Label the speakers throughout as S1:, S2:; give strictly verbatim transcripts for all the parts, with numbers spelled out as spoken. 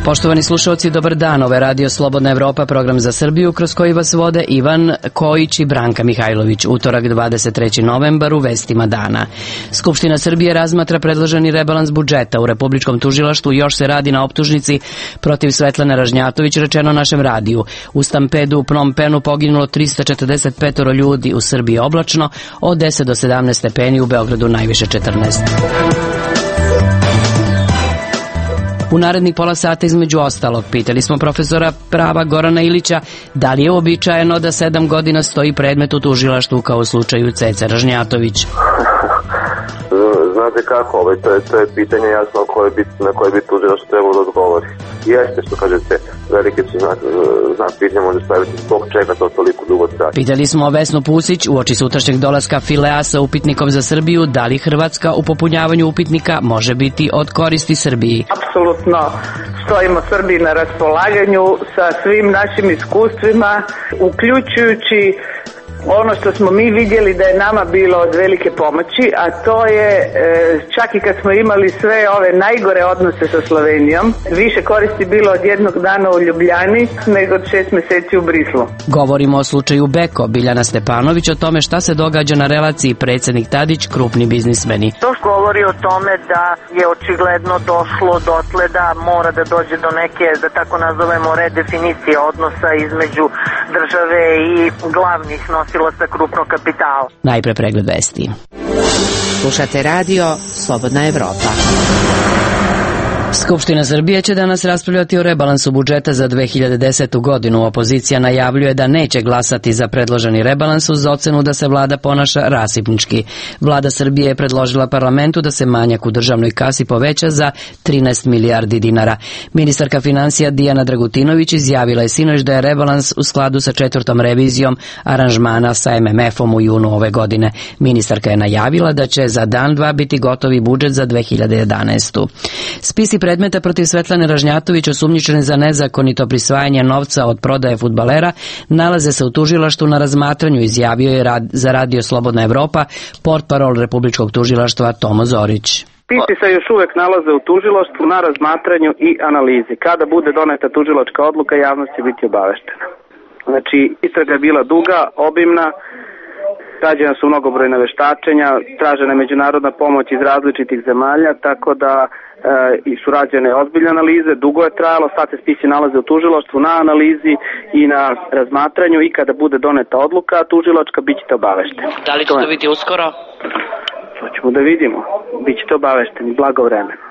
S1: Poštovani slušalci, dobar dan. Ovo je Radio Slobodna Evropa, program za Srbiju, kroz koji vas vode Ivan Kojić i Branka Mihajlović. Utorak, dvadeset treći novembar, u vestima dana. Skupština Srbije razmatra predloženi rebalans budžeta. U Republičkom tužilaštvu još se radi na optužnici protiv Svetlane Ražnjatović, rečeno našem radiju. U stampedu u Phnom Penhu poginulo trista četrdeset pet ljudi, u Srbiji oblačno, od deset do sedamnaest stepeni, u Beogradu najviše četrnaest. U narednih pola sata, između ostalog, pitali smo profesora prava Gorana Ilića da li je uobičajeno da sedam godina stoji predmet u tužilaštvu kao u slučaju Cece Ražnjatović.
S2: Znate kako, ovaj, to, je, to je pitanje jasno koje bi, na koje bi tužilaštvo trebalo da odgovori. Jeste, što kažete, velike su znak, znak pitanja može staviti zbog čega to toliko dugo traje.
S1: Pitali smo Vesnu Pusić uoči sutrašnjeg dolaska Filea sa upitnikom za Srbiju, da li Hrvatska u popunjavanju upitnika može biti od koristi Srbiji.
S3: Apsolutno stojimo Srbiji na raspolaganju sa svim našim iskustvima, uključujući ono što smo mi vidjeli da je nama bilo od velike pomoći, a to je e, čak i kad smo imali sve ove najgore odnose sa Slovenijom, više koristi bilo od jednog dana u Ljubljani nego od šest mjeseci u Brislu.
S1: Govorimo o slučaju Beko. Biljana Stepanović o tome šta se događa na relaciji predsjednik Tadić, krupni biznismeni.
S4: To govori o tome da je očigledno došlo dotle da mora da dođe do neke, da tako nazovemo, redefinicije odnosa između države i glavnih nosilaca krupnog kapitala.
S1: Najpre pregled vesti.
S5: Slušate radio Slobodna Evropa.
S1: Skupština Srbije će danas raspravljati o rebalansu budžeta za dve hiljade desetu godinu. Opozicija najavljuje da neće glasati za predloženi rebalans uz ocenu da se vlada ponaša rasipnički. Vlada Srbije je predložila parlamentu da se manjak u državnoj kasi poveća za trinaest milijardi dinara. Ministarka finansija Dijana Dragutinović izjavila je sinoć da je rebalans u skladu sa četvrtom revizijom aranžmana sa em em efom u junu ove godine. Ministarka je najavila da će za dan dva biti gotovi budžet za dve hiljade jedanaestu. Spisi predmeta protiv Svetlane Ražnjatović osumnjičene za nezakonito prisvajanje novca od prodaje fudbalera nalaze se u tužilaštvu na razmatranju, izjavio je rad, za Radio Slobodna Evropa portparol Republičkog tužilaštva Tomo Zorić.
S6: Spisi se još uvek nalaze u tužilaštvu na razmatranju i analizi. Kada bude doneta tužilačka odluka, javnost će biti obaveštena. Znači, istraga je bila duga, obimna, rađena su mnogobrojna veštačenja, tražena je međunarodna pomoć iz različitih zemalja, tako da i su rađene ozbiljne analize, dugo je trajalo, sad se spisi nalaze u tužilaštvu na analizi i na razmatranju i kada bude doneta odluka tužilačka, bit ćete obavešteni.
S1: Da li će to biti uskoro?
S6: To ćemo da vidimo, bit ćete obavešteni, blagovremeno.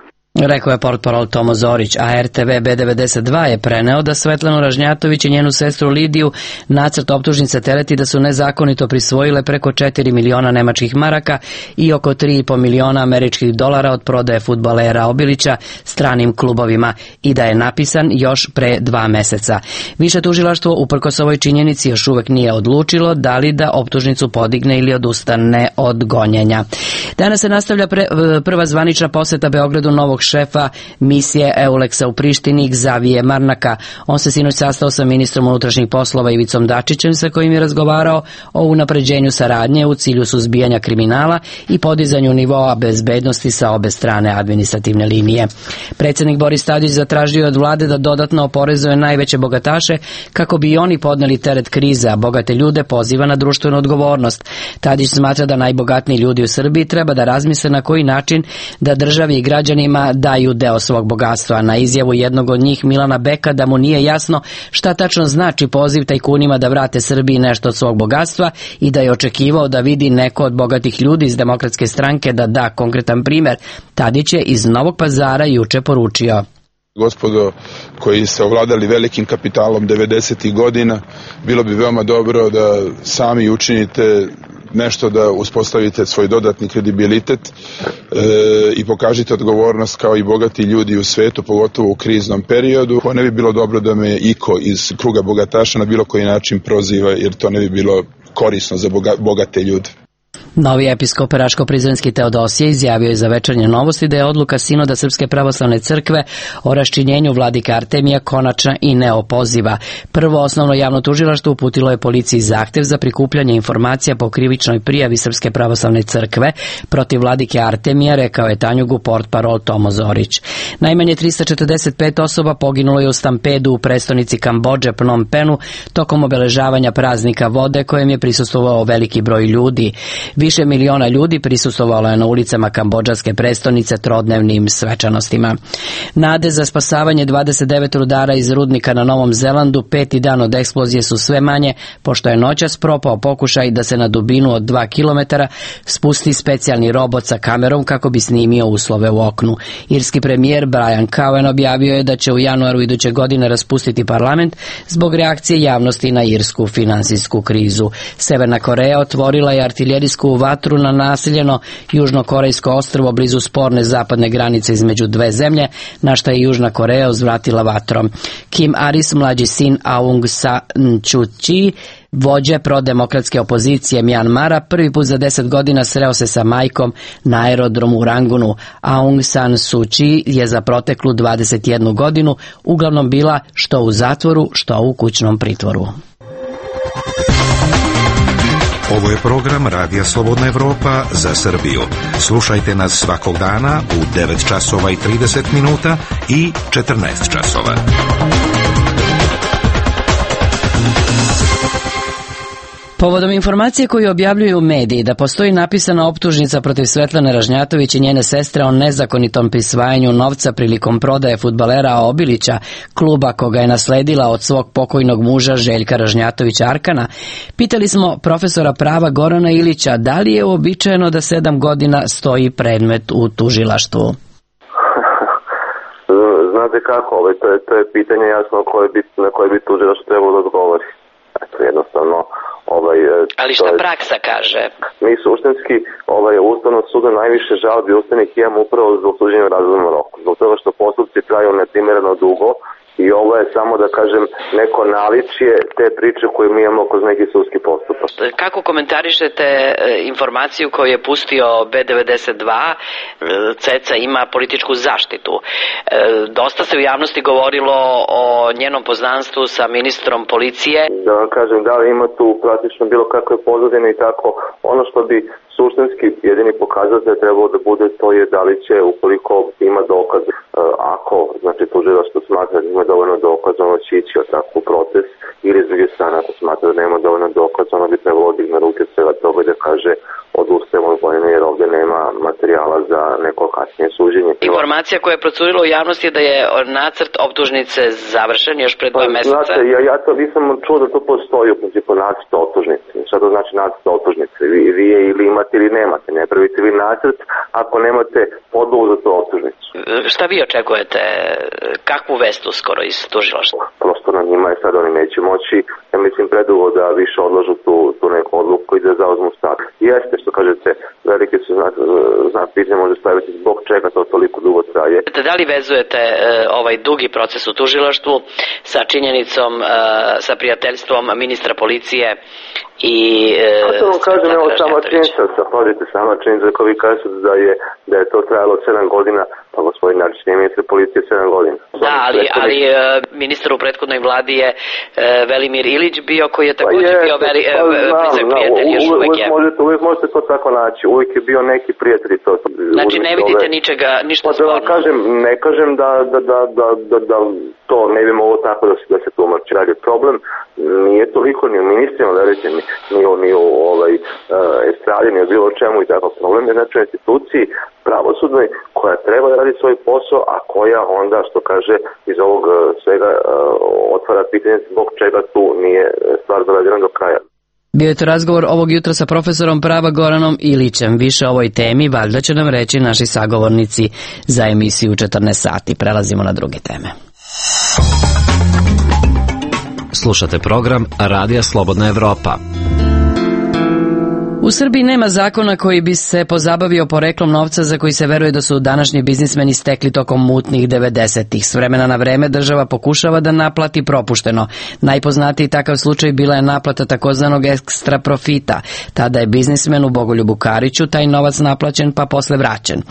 S1: Rekao je portparol Tomo Zorić, a er te ve be devedeset dva je preneo da Svetlanu Ražnjatović i njenu sestru Lidiju nacrt optužnice tereti da su nezakonito prisvojile preko četiri miliona nemačkih maraka i oko tri i po miliona američkih dolara od prodaje fudbalera Obilića stranim klubovima i da je napisan još pre dva meseca. Više tužilaštvo uprkos ovoj činjenici još uvek nije odlučilo da li da optužnicu podigne ili odustane od gonjenja. Danas se nastavlja pre, prva zvanična poseta Beogradu novog šefa misije Euleksa u Prištini, Xavije Marnaka. On se sinoć sastao sa ministrom unutrašnjih poslova Ivicom Dačićem, sa kojim je razgovarao o unapređenju saradnje u cilju suzbijanja kriminala i podizanju nivoa bezbednosti sa obe strane administrativne linije. Predsjednik Boris Tadić zatražio od vlade da dodatno oporezuje najveće bogataše kako bi i oni podneli teret krize, a bogate ljude poziva na društvenu odgovornost. Tadić smatra da najbogatniji ljudi u Srbiji treba da razmisle na koji način da državi i građanima daju deo svog bogatstva. Na izjavu jednog od njih, Milana Beka, da mu nije jasno šta tačno znači poziv tajkunima da vrate Srbiji nešto od svog bogatstva i da je očekivao da vidi neko od bogatih ljudi iz Demokratske stranke da da konkretan primer, Tadić je iz Novog Pazara juče poručio:
S7: Gospodo koji se ovladali velikim kapitalom devedesetih godina, bilo bi veoma dobro da sami učinite nešto da uspostavite svoj dodatni kredibilitet e, i pokažite odgovornost kao i bogati ljudi u svetu, pogotovo u kriznom periodu. Ne bi bilo dobro da me iko iz kruga bogataša na bilo koji način proziva, jer to ne bi bilo korisno za boga, bogate ljude.
S1: Novi episkop Raško-Prizrenski Teodosije izjavio je za Večernje novosti da je odluka Sinoda Srpske pravoslavne crkve o raščinjenju vladike Artemija konačna i neopoziva. Prvo osnovno javno tužilaštvo uputilo je policiji zahtev za prikupljanje informacija po krivičnoj prijavi Srpske pravoslavne crkve protiv vladike Artemija, rekao je Tanjugu portparol Tomo Zorić. Najmanje trista četrdeset pet osoba poginulo je u stampedu u prestonici Kambodže Phnom Penhu tokom obeležavanja praznika vode kojem je prisustvovao veliki broj ljudi. Više miliona ljudi prisustvovalo je na ulicama kambodžanske prestonice trodnevnim svečanostima. Nade za spasavanje dvadeset devet rudara iz rudnika na Novom Zelandu peti dan od eksplozije su sve manje, pošto je noćas propao pokušaj da se na dubinu od dva kilometara spusti specijalni robot sa kamerom kako bi snimio uslove u oknu. Irski premijer Brian Cowen objavio je da će u januaru iduće godine raspustiti parlament zbog reakcije javnosti na irsku finansijsku krizu. Severna Koreja otvorila je artiljerijsku vatru na naseljeno južnokorejsko ostrvo blizu sporne zapadne granice između dve zemlje, na šta je Južna Koreja uzvratila vatrom. Kim Aris, mlađi sin Aung San Suu Kyi, vođe prodemokratske opozicije Mjanmara, prvi put za deset godina sreo se sa majkom na aerodromu u Rangunu. Aung San Suu Kyi je za proteklu dvadeset jednu godinu uglavnom bila što u zatvoru, što u kućnom pritvoru.
S8: Ovo je program Radija Slobodna Evropa za Srbiju. Slušajte nas svakog dana u devet časova i trideset minuta i četrnaest časova.
S1: Povodom informacije koju objavljuju mediji da postoji napisana optužnica protiv Svetlane Ražnjatović i njene sestre o nezakonitom prisvajanju novca prilikom prodaje fudbalera Obilića, kluba koga je nasledila od svog pokojnog muža Željka Ražnjatovića Arkana, pitali smo profesora prava Gorana Ilića da li je uobičajeno da sedam godina stoji predmet u tužilaštvu.
S2: Znate kako, ovaj, to, je, to je pitanje jasno koje bi, na koje bi tužilaštvo trebalo da odgovori. Eto, jednostavno, Ovaj,
S1: ali šta je, praksa kaže?
S2: Mi suštinski ovaj, Ustavnog suda najviše žalbi ustavnih imamo upravo zbog suđenja u razumnom roku. Zbog toga što postupci traju neprimjereno dugo i ovo je samo, da kažem, neko naličje te priče koje mi imamo kroz neki sudski postupak.
S1: Kako komentarišete informaciju koju je pustio B devedeset dva, Ceca ima političku zaštitu? Dosta se u javnosti govorilo o njenom poznanstvu sa ministrom policije.
S2: Da vam kažem, da li ima tu praktično bilo kakve pozadine i tako, ono što bi suštinski jedini pokazatelj trebalo da bude, to je da li će, ukoliko ima dokaz, ako, znači tužilaštvo smatra da ima dovoljno dokaza, ono će ići od takvu proces, ili s druge strane, ako smatra da nema dovoljno dokaza, ono bi trebalo digne ruke svega toga da kaže odustajemo od vojne jer ovdje nema materijala za neko kasnije suđenje.
S1: Informacija koja je procurila u javnosti je da je nacrt optužnice završen još pred dva meseca.
S2: Znate, ja, ja to nisam čuo da to postoji u principu nacrt optužnice. Šta to znači nacrt optužnice? Vi, vi je ili imate ili nemate. Ne pravite vi nacrt ako nemate podlogu za to optužnicu.
S1: Šta vi očekujete? Kakvu vestu skoro iz tužilaštva?
S2: Prosto na njima je sad oni neće moći, ja mislim, predugo da više odlažu tu, tu neku odluku i da zauzmu stav. Jeste, što kažete, velike su znak, znak pitanja može staviti zbog čega to toliko dugo traje.
S1: Da li vezujete e, ovaj dugi proces u tužilaštvu sa činjenicom, e, sa prijateljstvom ministra policije i... E,
S2: A to vam kažem, evo sama činjenica, pazite, sama činjenica ko vi kažete da je, da je to trajalo sedam godina, pa gospodin Arčić nije ministar policije sedam godina.
S1: Da, ali, ali e, ministar u prethodnoj vladi je e, Velimir Ilić bio, koji je također pa je, bio veli, e, blizak prijatelj, još uvek, uvek je.
S2: Možete, uvijek možete to tako naći, uvijek je bio neki prijatelj. To,
S1: znači ne vidite ove, ničega, ništa
S2: pa
S1: sporno?
S2: Da kažem, ne kažem da, da, da, da, da, da to ne bi moglo tako da se, da se tumači. Radi problem nije toliko ni u ministrima, verujte mi, ni u, ni u ovaj, uh, estradi, ni u bilo čemu i tako. Problem je znači u instituciji pravosudnoj koja treba da radi svoj posao, a koja onda, što kaže, iz ovog uh, svega uh, otvara pitanje zbog čega tu nije stvar dovedena do kraja.
S1: Bio je to razgovor ovog jutra sa profesorom prava Goranom Ilićem. Više o ovoj temi valjda će nam reći naši sagovornici za emisiju četrnaest sati. Prelazimo na druge teme. Slušate program Radija Slobodna Evropa. U U Srbiji nema zakona koji bi se pozabavio poreklom novca za koji se veruje da su današnji biznismeni stekli tokom mutnih devedesetih. S vremena na vreme država pokušava da naplati propušteno. Najpoznatiji takav slučaj bila je naplata takozvanog ekstra profita. Tada je biznismenu Bogoljubu Kariću taj novac naplaćen pa posle vraćen.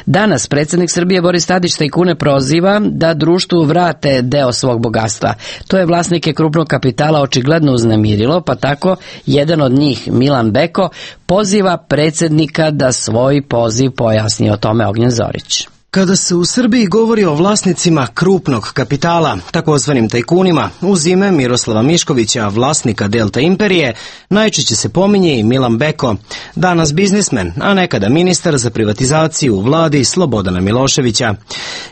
S1: Danas predsjednik Srbije Boris Tadić tajkune proziva da društvu vrate deo svog bogatstva. To je vlasnike krupnog kapitala očigledno uznemirilo, pa tako jedan od njih, Milan Beko, poziva predsjednika da svoj poziv pojasni. O tome Ognjen Zorić.
S9: Kada se u Srbiji govori o vlasnicima krupnog kapitala, takozvanim tajkunima, uz ime Miroslava Miškovića, vlasnika Delta Imperije, najčešće se pominje i Milan Beko, danas biznismen, a nekada ministar za privatizaciju u vladi Slobodana Miloševića.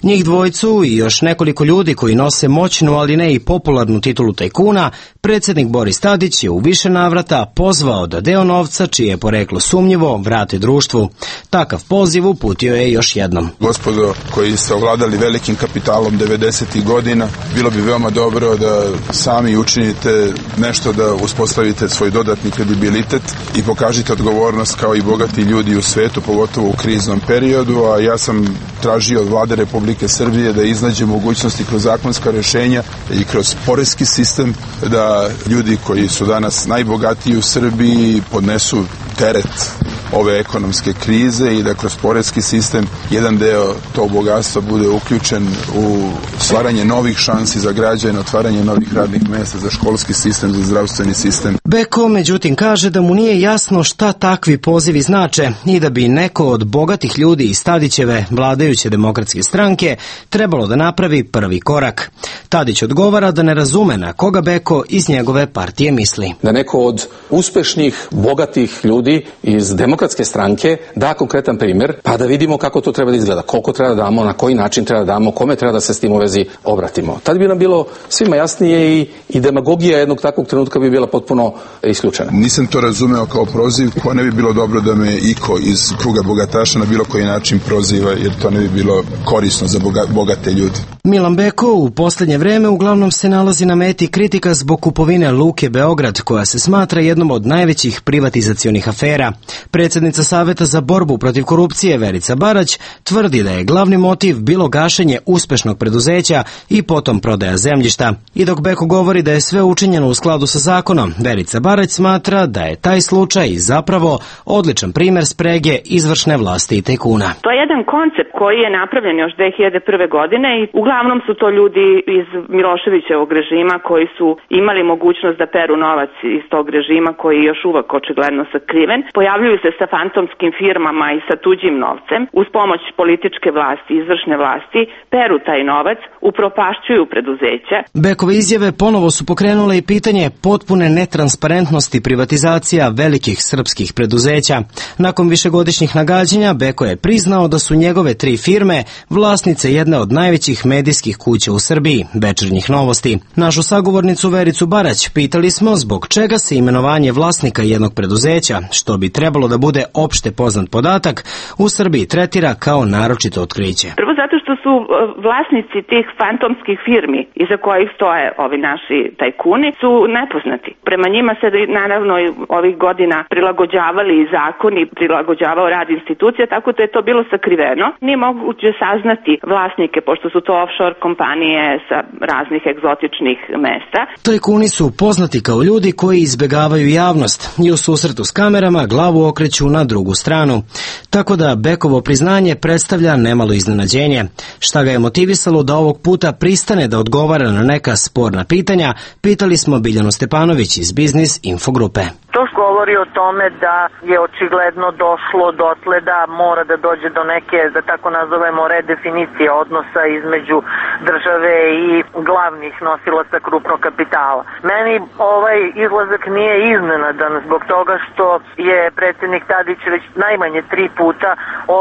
S9: Njih dvojcu i još nekoliko ljudi koji nose moćnu, ali ne i popularnu titulu tajkuna, predsjednik Boris Tadić je u više navrata pozvao da deo novca, čije je poreklo sumnjivo, vrate društvu. Takav poziv uputio je još jednom.
S7: Gospodo koji ste ovladali velikim kapitalom devedesetih godina, bilo bi veoma dobro da sami učinite nešto da uspostavite svoj dodatni kredibilitet i pokažite odgovornost kao i bogati ljudi u svetu, pogotovo u kriznom periodu, a ja sam tražio od vlade Republike Srbije da iznađe mogućnosti kroz zakonska rješenja i kroz poreski sistem da ljudi koji su danas najbogatiji u Srbiji podnesu teret ove ekonomske krize i da kroz poreski sistem jedan deo tog bogatstva bude uključen u stvaranje novih šansi za građane, otvaranje novih radnih mjesta, za školski sistem, za zdravstveni sistem.
S9: Beko, međutim, kaže da mu nije jasno šta takvi pozivi znače i da bi neko od bogatih ljudi iz Tadićeve vladajuće demokratske stranke trebalo da napravi prvi korak. Tadić odgovara da ne razume na koga Beko iz njegove partije misli.
S10: Da neko od uspešnih, bogatih ljudi iz demokratske stranke da konkretan primjer, pa da vidimo kako to treba da izgleda, koliko treba da damo, na koji način treba da damo, kome treba da se s tim u vezi obratimo. Tad bi nam bilo svima jasnije i, i demagogija jednog takvog trenutka bi bila potpuno isključena.
S7: Nisam to razumeo kao proziv, ko ne bi bilo dobro da me iko iz kruga bogataša na bilo koji način proziva, jer to ne bi bilo korisno za boga, bogate ljude.
S9: Milan Beko u posljednje vreme uglavnom se nalazi na meti kritika zbog kupovine Luke Beograd, koja se smatra jednom od najvećih privatizacionih afera. Predsjednica Saveta za borbu protiv korupcije Verica Barać tvrdi da je glavni motiv bilo gašenje uspešnog preduzeća i potom prodaja zemljišta. I dok Beko govori da je sve učinjeno u skladu sa zakonom, Verica Barać smatra da je taj slučaj zapravo odličan primjer sprege izvršne vlasti i tajkuna.
S11: To je jedan koncept koji je napravljen još dve hiljade prve. godine i uglavnom su to ljudi iz Miloševićevog režima koji su imali mogućnost da peru novac iz tog režima koji je još uvek očigledno sakriven. Pojavljuju se sa fantomskim firmama i sa tuđim novcem. Uz pomoć političke vlasti, izvršne vlasti, peru taj novac, upropašćuju preduzeća.
S9: Bekove izjave ponovo su pokrenule i pitanje potpune netransparentnosti privatizacija velikih srpskih preduzeća. Nakon višegodišnjih nagađanja, Beko je priznao da su njegove tri firme vlasnice jedne od najvećih medijskih kuća u Srbiji, Večernjih novosti. Našu sagovornicu Vericu Barać pitali smo zbog čega se imenovanje vlasnika jednog preduzeća, što bi trebalo da bude opšte poznat podatak, u Srbiji tretira kao naročito otkriće.
S11: Prvo zato što su vlasnici tih fantomskih firmi iza kojih stoje ovi naši tajkuni su nepoznati. Prema njima se naravno ovih godina prilagođavali i zakoni, prilagođavao rad institucija, tako da je to bilo sakriveno. Nije moguće saznati vlasnike, pošto su to offshore kompanije sa raznih egzotičnih mesta.
S9: Tajkuni su poznati kao ljudi koji izbegavaju javnost i u susretu s kamerama glavu okreću na drugu stranu. Tako da Bekovo priznanje predstavlja nemalo iznenađenje. Šta ga je motivisalo da ovog puta pristane da odgovara na neka sporna pitanja, pitali smo Biljanu Stepanović iz Biznis Infogrupe.
S4: To govori o tome da je očigledno došlo dotle da mora da dođe do neke, da tako nazovemo, redefinicije odnosa između države i glavnih nosilaca krupnog kapitala. Meni ovaj izlazak nije iznenadan zbog toga što je predsjednik Tadić već najmanje tri puta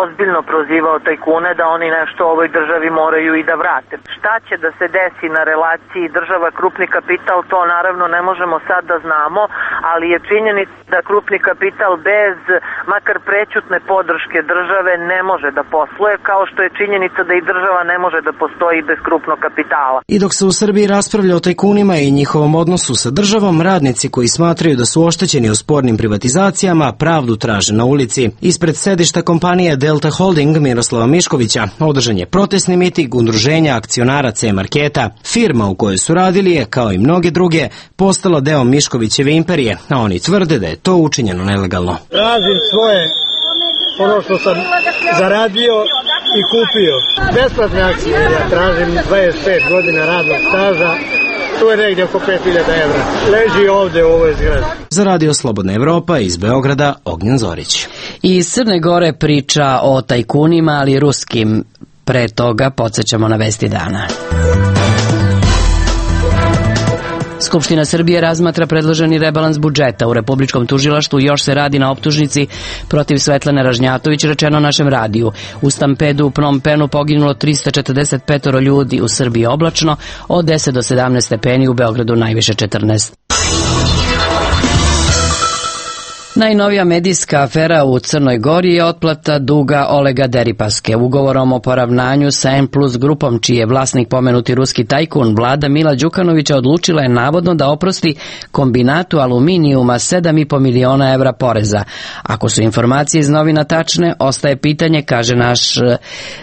S4: ozbiljno prozivao tajkune da oni nešto ovoj državi moraju i da vrate. Šta će da se desi na relaciji država krupni kapital, to naravno ne možemo sad da znamo, ali je činjenica da krupni kapital bez makar prećutne podrške države ne može da posluje, kao što je činjenica da i država ne može da postoji bez krupnog kapitala.
S9: I dok se u Srbiji raspravlja o tajkunima i njihovom odnosu sa državom, radnici koji smatraju da su oštećeni u spornim privatizacijama pravdu traže na ulici. Ispred sedišta kompanije Delta Holding Miroslava Miškovića održan je protestni miting udruženja akcionara C-marketa. Firma u kojoj su radili je, kao i mnoge druge, postala deo Miškovićeve imperije, a oni tvrde da je to učinjeno nelegalno.
S12: Tražim svoje, ono što sam zaradio i kupio. Besplatne akcije, ja tražim dvadeset pet godina radnog staža, tu je negdje oko pet hiljada evra. Leži ovde u ovoj zgradi.
S9: Za Radio Slobodna Evropa iz Beograda, Ognjen Zorić.
S1: I iz Crne Gore priča o tajkunima, ali ruskim. Pre toga podsjećamo na vesti dana. Skupština Srbije razmatra predloženi rebalans budžeta. U Republičkom tužilaštvu još se radi na optužnici protiv Svetlane Ražnjatović, rečeno našem radiju. U stampedu u Phnom Penhu poginulo tristo četrdeset pet ljudi, u Srbiji oblačno, od deset do sedamnaest stepeni, u Beogradu najviše četrnaest. Najnovija medijska afera u Crnoj Gori je otplata duga Olega Deripaske. Ugovorom o poravnanju sa M plus grupom, čiji je vlasnik pomenuti ruski tajkun, vlada Mila Đukanovića odlučila je navodno da oprosti kombinatu aluminijuma sedam i po miliona evra poreza. Ako su informacije iz novina tačne, ostaje pitanje, kaže naš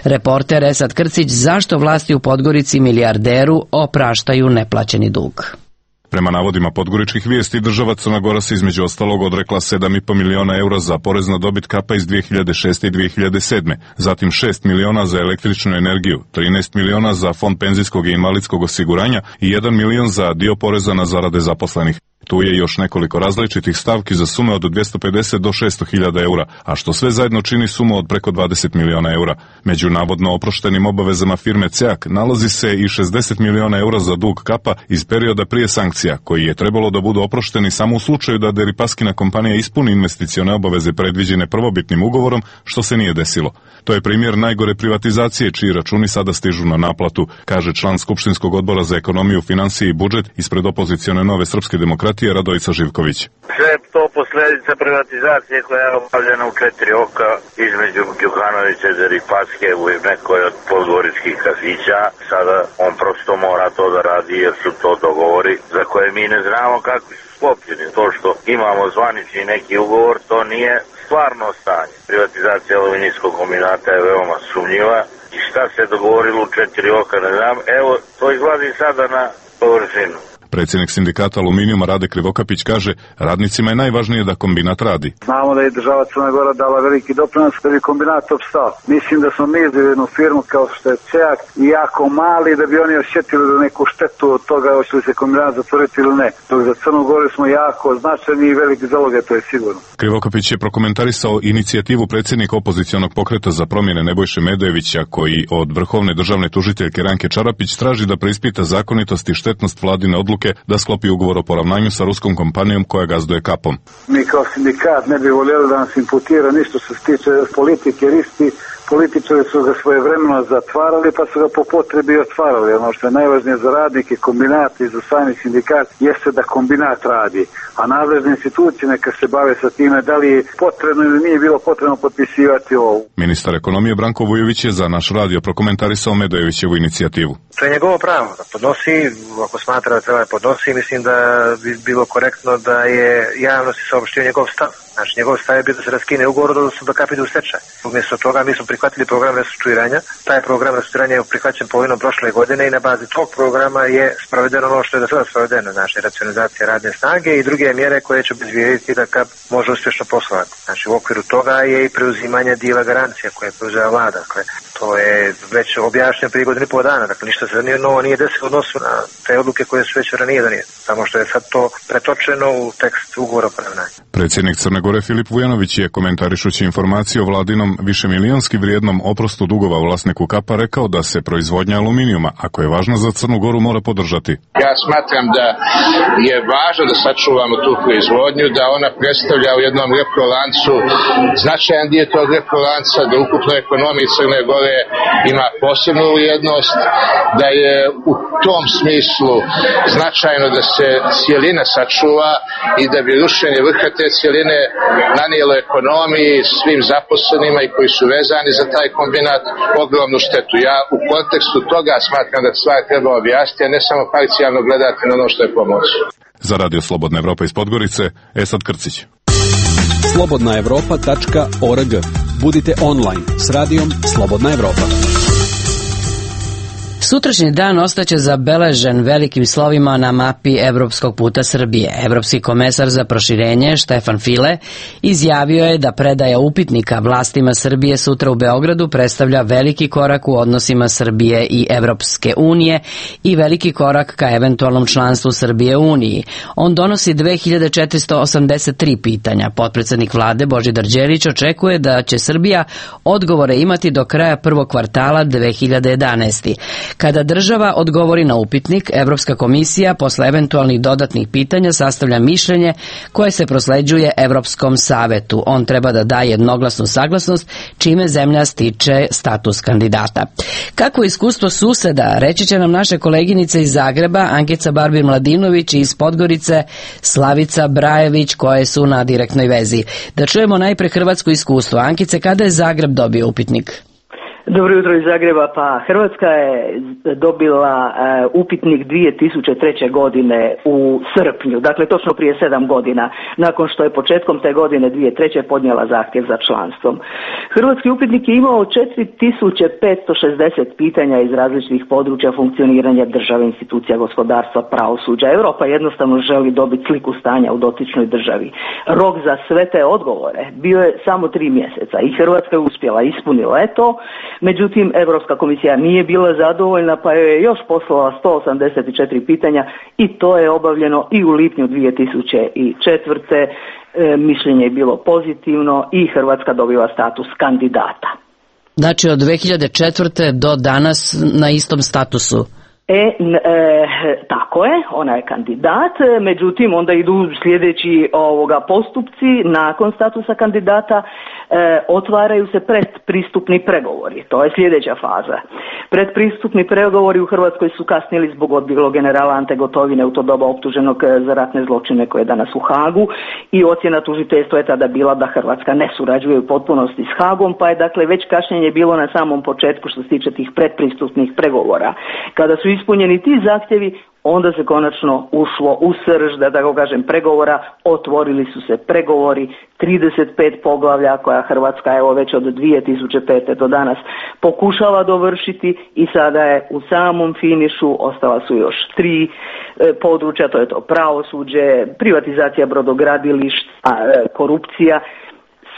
S1: reporter Esad Krcić, zašto vlasti u Podgorici milijarderu opraštaju neplaćeni dug.
S13: Prema navodima podgoričkih vijesti, država Crna Gora se između ostalog odrekla sedam i po miliona eura za porez na dobit Kapa iz dvije hiljade šeste i dvije hiljade sedme, zatim šest miliona za električnu energiju, trinaest miliona za fond penzijskog i invalidskog osiguranja i jedan milion za dio poreza na zarade zaposlenih. Tu je još nekoliko različitih stavki za sume od dvjesto pedeset do šesto hiljada eura, a što sve zajedno čini sumu od preko dvadeset miliona eura. Među navodno oproštenim obavezama firme CEAK nalazi se i šezdeset miliona eura za dug Kapa iz perioda prije sankcija, koji je trebalo da budu oprošteni samo u slučaju da Deripaskina kompanija ispuni investicione obaveze predviđene prvobitnim ugovorom, što se nije desilo. To je primjer najgore privatizacije, čiji računi sada stižu na naplatu, kaže član Skupštinskog odbora za ekonomiju, financije i budžet ispred opozicione Nove srpske demokratije Radojica Živković.
S14: Sve to posljedica privatizacije koja je obavljena u četiri oka između Đukanovića i Deripaske u nekoj od podgoričkih kafića. Sada on prosto mora to da radi jer su to dogovori za koje mi ne znamo kakvi su sklopljeni. To što imamo zvanični neki ugovor, to nije stvarno stanje. Privatizacija aluminijskog kombinata je veoma sumnjiva i šta se dogovorilo u četiri oka ne znam. Evo, to izlazi sada na površinu.
S13: Predsjednik sindikata aluminijuma Rade Krivokapić kaže, radnicima je najvažnije da kombinat radi.
S15: Znamo da je država Crna Gora dala veliki doprinos da bi kombinat opstao. Mislim da smo mi izveli jednu firmu kao što je CEAK i jako mali da bi oni osjetili da neku štetu od toga hoće li se kombinat zatvoriti ili ne. Dok za Crnu Goru smo jako značajni i veliki zaloge, to je sigurno.
S13: Krivokapić je prokomentarisao inicijativu predsjednika opozicionog pokreta za promjene Nebojše Medojevića, koji od vrhovne državne tužiteljke Ranke Čarapić traži da preispita zakonitost i štetnost vladine odluke da sklopi ugovor o poravnanju sa ruskom kompanijom koja gazduje Kapom.
S15: Mi kao sindikat ne bi voljeli da nas imputira ništa što se tiče politike, jer isti političari su ga svojevremeno zatvarali pa su ga po potrebi otvarali. Ono što je najvažnije za radnike, kombinat i za sami sindikat jeste da kombinat radi, a nadležne institucije neka se bave sa time da li je potrebno ili nije bilo potrebno potpisivati ovo.
S13: Ministar ekonomije Branko Vujović je za naš radio prokomentarisao Medojevićevu inicijativu.
S16: To je njegovo pravo da podnosi, ako smatra da treba da podnosi, mislim da bi bilo korektno da je javnosti saopštio njegov stav. Znači, njegov stav je bio da se raskine ugovor, odnosno da Kap ide u stečaj. Umjesto toga mi smo prihvatili program restrukturiranja. Taj program restrukturiranja je prihvaćen polovinom prošle godine i na bazi tog programa je sprovedeno ono što je do sada sprovedeno, znači racionalizacija radne snage i druge mjere koje će obezbijediti da Kap može uspješno poslovati. Znači, u okviru toga je i preuzimanje dijela garancija koje je preuzela vlada. Dakle, to je već objašnjeno prije godinu i pol dana. Dakle, ništa se nije novo nije desilo u odnosu na te odluke koje su već ranije donijete. Samo što je sad to pretočeno u tekst ugovora o poravnanju.
S13: Predsjednik Crne Gore Filip Vujanović je, komentarišući informaciju o vladinom višemilijonski vrijednom oprostu dugova vlasniku Kapa, rekao da se proizvodnja aluminijuma, ako je važna za Crnu Goru, mora podržati.
S17: Ja smatram da je važno da sačuvamo tu proizvodnju, da ona predstavlja u jednom reprolancu značajan dio tog reprolanca, da ukupno ekonomiji Crne Gore ima posebnu vrijednost, da je u tom smislu značajno da se cijelina sačuva i da bi rušenje vrha te cijeline nanijelo ekonomiji, svim zaposlenima i koji su vezani za taj kombinat ogromnu štetu. Ja u kontekstu toga smatram da stvar treba objasniti, a ne samo parcijalno gledati na ono što je pomoć.
S13: Za Radio Slobodna Evropa iz Podgorice, Esad Krcić.
S18: slobodna evropa tačka org. Budite online s radijom Slobodna Evropa.
S1: Sutrašnji dan ostaće zabeležen velikim slovima na mapi evropskog puta Srbije. Evropski komesar za proširenje Štefan File izjavio je da predaja upitnika vlastima Srbije sutra u Beogradu predstavlja veliki korak u odnosima Srbije i Evropske unije i veliki korak ka eventualnom članstvu Srbije u Uniji. On donosi dve hiljade četiristo osamdeset tri pitanja. Potpredsednik vlade Božidar Đelić očekuje da će Srbija odgovore imati do kraja prvog kvartala dve hiljade jedanaeste. Kada država odgovori na upitnik, Evropska komisija posle eventualnih dodatnih pitanja sastavlja mišljenje koje se prosleđuje Evropskom savetu. On treba da daje jednoglasnu saglasnost, čime zemlja stiče status kandidata. Kako iskustvo suseda, reći će nam naše koleginice iz Zagreba, Ankica Barbir-Mladinović i iz Podgorice, Slavica Brajević, koje su na direktnoj vezi. Da čujemo najpre hrvatsko iskustvo. Ankice, kada je Zagreb dobio upitnik?
S19: Dobro jutro iz Zagreba. Pa Hrvatska je dobila uh, upitnik dvije tisuće treće godine u srpnju, dakle točno prije sedam godina, nakon što je početkom te godine dvije tisuće treće podnijela zahtjev za članstvom. Hrvatski upitnik je imao četiri tisuće petsto šezdeset pitanja iz različitih područja funkcioniranja države, institucija, gospodarstva, pravosuđa. Europa jednostavno želi dobiti sliku stanja u dotičnoj državi. Rok za sve te odgovore bio je samo tri mjeseca i Hrvatska je uspjela, ispunila je to. Međutim, Europska komisija nije bila zadovoljna pa joj je još poslala sto osamdeset četiri pitanja i to je obavljeno i u lipnju dvije tisuće četvrte. E, mišljenje je bilo pozitivno i Hrvatska dobiva status kandidata.
S1: Znači od dve hiljade četvrte do danas na istom statusu?
S19: E, e, tako je, ona je kandidat, međutim onda idu sljedeći ovoga postupci nakon statusa kandidata. E, otvaraju se predpristupni pregovori, to je sljedeća faza. Predpristupni pregovori u Hrvatskoj su kasnili zbog odbjeglog generala Ante Gotovine, u to doba optuženog za ratne zločine koje je danas u Hagu, i ocjena tužiteljstva je tada bila da Hrvatska ne surađuje u potpunosti s Hagom, pa je dakle već kašnjenje bilo na samom početku što se tiče tih predpristupnih pregovora. Kada su ispunjeni ti zahtjevi, onda se konačno ušlo u srž, da tako kažem, pregovora, otvorili su se pregovori, trideset pet poglavlja koja Hrvatska evo već od dvije tisuće pete do danas pokušala dovršiti i sada je u samom finišu, ostala su još tri e, područja, to je to pravosuđe, privatizacija brodogradilišta, e, korupcija.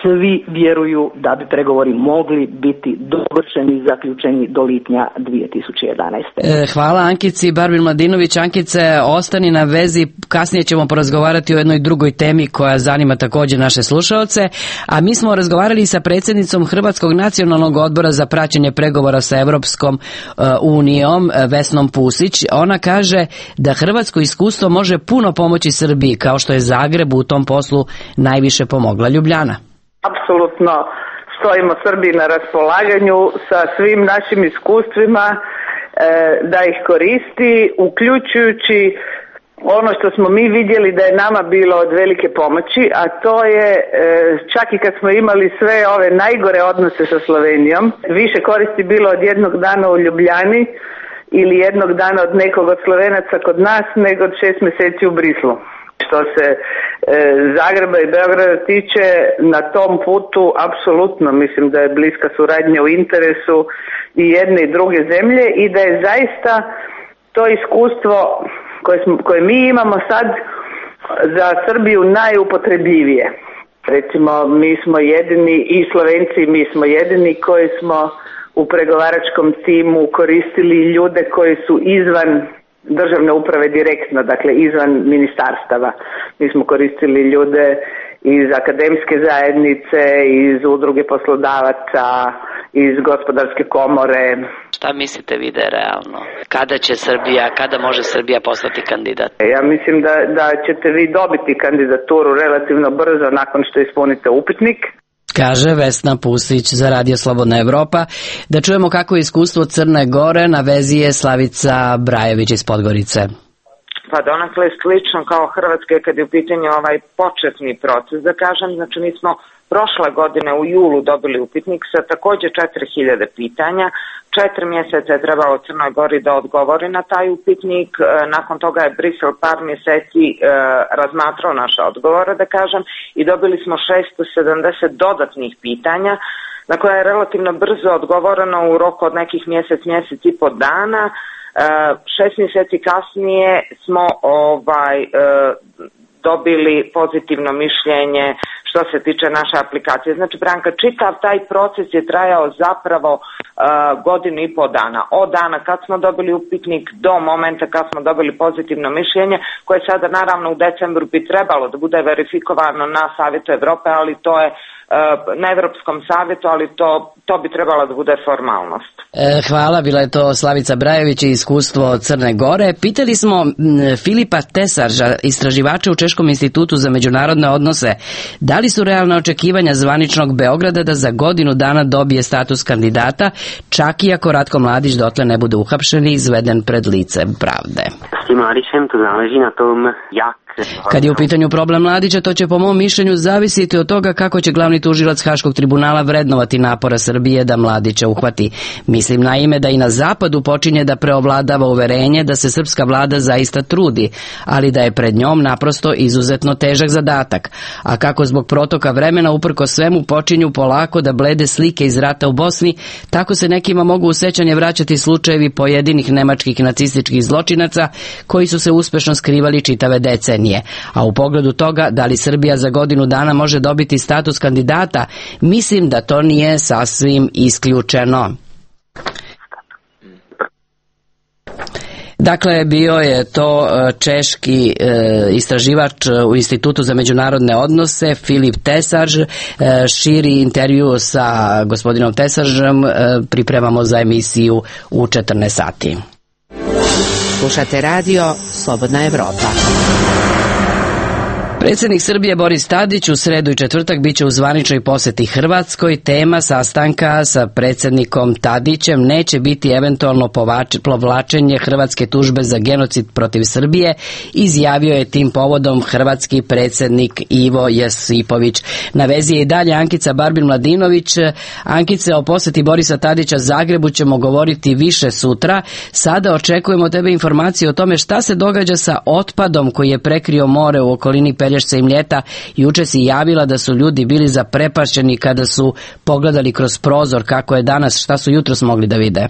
S19: Svi vjeruju da bi pregovori mogli biti dovršeni i zaključeni do lipnja dvije tisuće jedanaeste.
S1: E, hvala Ankici Barbir-Mladinović. Ankice, ostani na vezi, kasnije ćemo porazgovarati o jednoj drugoj temi koja zanima također naše slušaoce, a mi smo razgovarali sa predsjednicom Hrvatskog nacionalnog odbora za praćenje pregovora sa Evropskom uh, unijom, Vesnom Pusić. Ona kaže da hrvatsko iskustvo može puno pomoći Srbiji, kao što je Zagreb u tom poslu najviše pomogla Ljubljana.
S3: Apsolutno stojimo Srbiji na raspolaganju sa svim našim iskustvima e, da ih koristi, uključujući ono što smo mi vidjeli da je nama bilo od velike pomoći, a to je e, čak i kad smo imali sve ove najgore odnose sa Slovenijom, više koristi bilo od jednog dana u Ljubljani ili jednog dana od nekog od Slovenaca kod nas nego od šest mjeseci u Brislu. Što se e, Zagreba i Beograda tiče, na tom putu apsolutno mislim da je bliska suradnja u interesu i jedne i druge zemlje i da je zaista to iskustvo koje, smo, koje mi imamo sad za Srbiju najupotrebljivije. Recimo, mi smo jedini, i Slovenci, mi smo jedini koji smo u pregovaračkom timu koristili ljude koji su izvan državne uprave direktno, dakle izvan ministarstava. Mi smo koristili ljude iz akademske zajednice, iz udruge poslodavaca, iz gospodarske komore.
S1: Šta mislite vi da je realno? Kada će Srbija, kada može Srbija postati kandidat?
S3: Ja mislim da, da ćete vi dobiti kandidaturu relativno brzo nakon što ispunite upitnik.
S1: Kaže Vesna Pusić za Radio Slobodna Evropa. Da čujemo kako je iskustvo Crne Gore, na vezi je Slavica Brajević iz Podgorice.
S20: pa donakle slično kao Hrvatske kad je u pitanju ovaj početni proces, da kažem, znači mi smo prošle godine u julu dobili upitnik sa takođe četiri hiljade pitanja. Četiri mjeseca je trebalo Crnoj Gori da odgovori na taj upitnik. Nakon toga je Brisel par mjeseci e, razmatrao naše odgovore, da kažem, i dobili smo šesto sedamdeset dodatnih pitanja na koja je relativno brzo odgovoreno u roku od nekih mjesec, mjesec i po dana. E, šest mjeseci kasnije smo ovaj e, dobili pozitivno mišljenje što se tiče naše aplikacije. Znači, Branka, čitav taj proces je trajao zapravo uh, godinu i po dana. Od dana kad smo dobili upitnik do momenta kad smo dobili pozitivno mišljenje, koje sada naravno u decembru bi trebalo da bude verifikovano na Savjetu Evrope, ali to je uh, na Evropskom savjetu, ali to, to bi trebalo da bude formalnost.
S1: E, hvala, bila je to Slavica Brajević i iskustvo Crne Gore. Pitali smo m, Filipa Tesarža, istraživača u Češkom institutu za međunarodne odnose, da li su realna očekivanja zvaničnog Beograda da za godinu dana dobije status kandidata, čak i ako Ratko Mladić dotle ne bude uhapšen i izveden pred lice pravde.
S21: S tim Mladićem to záleží na tom, jak.
S1: Kad je u pitanju problem Mladića, to će po mom mišljenju zavisiti od toga kako će glavni tužilac Haškog tribunala vrednovati napora Srbije da Mladića uhvati. Mislim naime da i na zapadu počinje da preovladava uverenje da se srpska vlada zaista trudi, ali da je pred njom naprosto izuzetno težak zadatak. A kako zbog protoka vremena uprko svemu počinju polako da blede slike iz rata u Bosni, tako se nekima mogu u sećanje vraćati slučajevi pojedinih nemačkih nacističkih zločinaca koji su se uspešno skrivali čitave decenije. A u pogledu toga da li Srbija za godinu dana može dobiti status kandidata, mislim da to nije sasvim isključeno. Dakle, bio je to češki e, istraživač u Institutu za međunarodne odnose Filip Tesarž. E, širi intervju sa gospodinom Tesaržem e, pripremamo za emisiju u četrnaest sati.
S5: Slušate radio Slobodna Evropa.
S1: Predsjednik Srbije Boris Tadić u sredu i četvrtak biće u zvaničnoj posjeti Hrvatskoj. Tema sastanka sa predsjednikom Tadićem neće biti eventualno povlačenje hrvatske tužbe za genocid protiv Srbije, izjavio je tim povodom hrvatski predsjednik Ivo Josipović. Na vezi je i dalje Ankica Barbin-Mladinović. Ankice, o posjeti Borisa Tadića Zagrebu ćemo govoriti više sutra. Sada očekujemo tebe informacije o tome šta se događa sa otpadom koji je prekrio more u okolini Pelješca i Mljeta. Juče si javila da su ljudi bili zaprepašćeni kada su pogledali kroz prozor. Kako je danas, šta su jutros mogli da vide?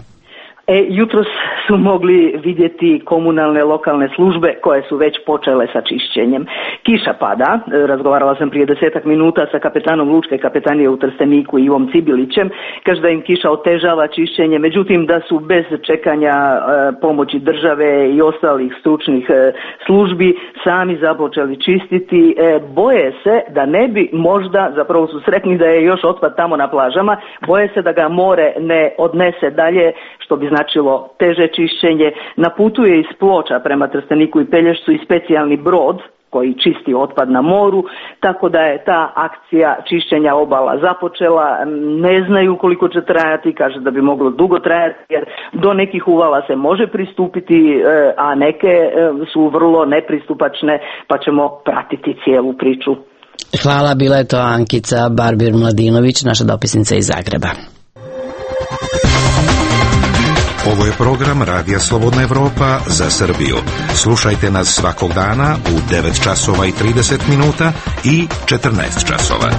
S19: E, jutros su mogli vidjeti komunalne lokalne službe koje su već počele sa čišćenjem. Kiša pada, razgovarala sam prije desetak minuta sa kapetanom Lučke kapetanije u Trsteniku Ivom Cibilićem, kaže da im kiša otežava čišćenje, međutim da su bez čekanja e, pomoći države i ostalih stručnih e, službi sami započeli čistiti. E, boje se da ne bi možda, zapravo su sretni da je još otpad tamo na plažama, boje se da ga more ne odnese dalje, što bi značilo teže čišćenje. Na putu je iz Ploča prema Trsteniku i Pelješcu i specijalni brod koji čisti otpad na moru, tako da je ta akcija čišćenja obala započela. Ne znaju koliko će trajati, kaže da bi moglo dugo trajati, jer do nekih uvala se može pristupiti, a neke su vrlo nepristupačne, pa ćemo pratiti cijelu priču.
S1: Hvala, bila je to Ankica Barbir-Mladinović, naša dopisnica iz Zagreba.
S8: Ovo je program Radija Slobodna Evropa za Srbiju. Slušajte nas svakog dana u devet časova i trideset minuta i četrnaest časova.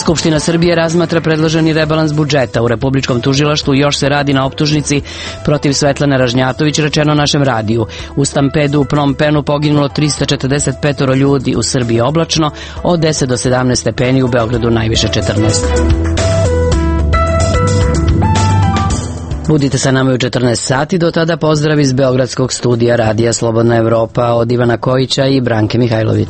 S1: Skupština Srbije razmatra predloženi rebalans budžeta. U Republičkom tužilaštvu još se radi na optužnici protiv Svetlane Ražnjatović, rečeno našem radiju. U stampedu u Phnom Penhu poginulo tristo četrdeset pet ljudi, u Srbiji oblačno, od deset do sedamnaest stepeni, u Beogradu najviše četrnaest. Budite sa nama u četrnaest sati, do tada pozdrav iz Beogradskog studija Radija Slobodna Evropa od Ivana Kojića i Branke Mihajlović.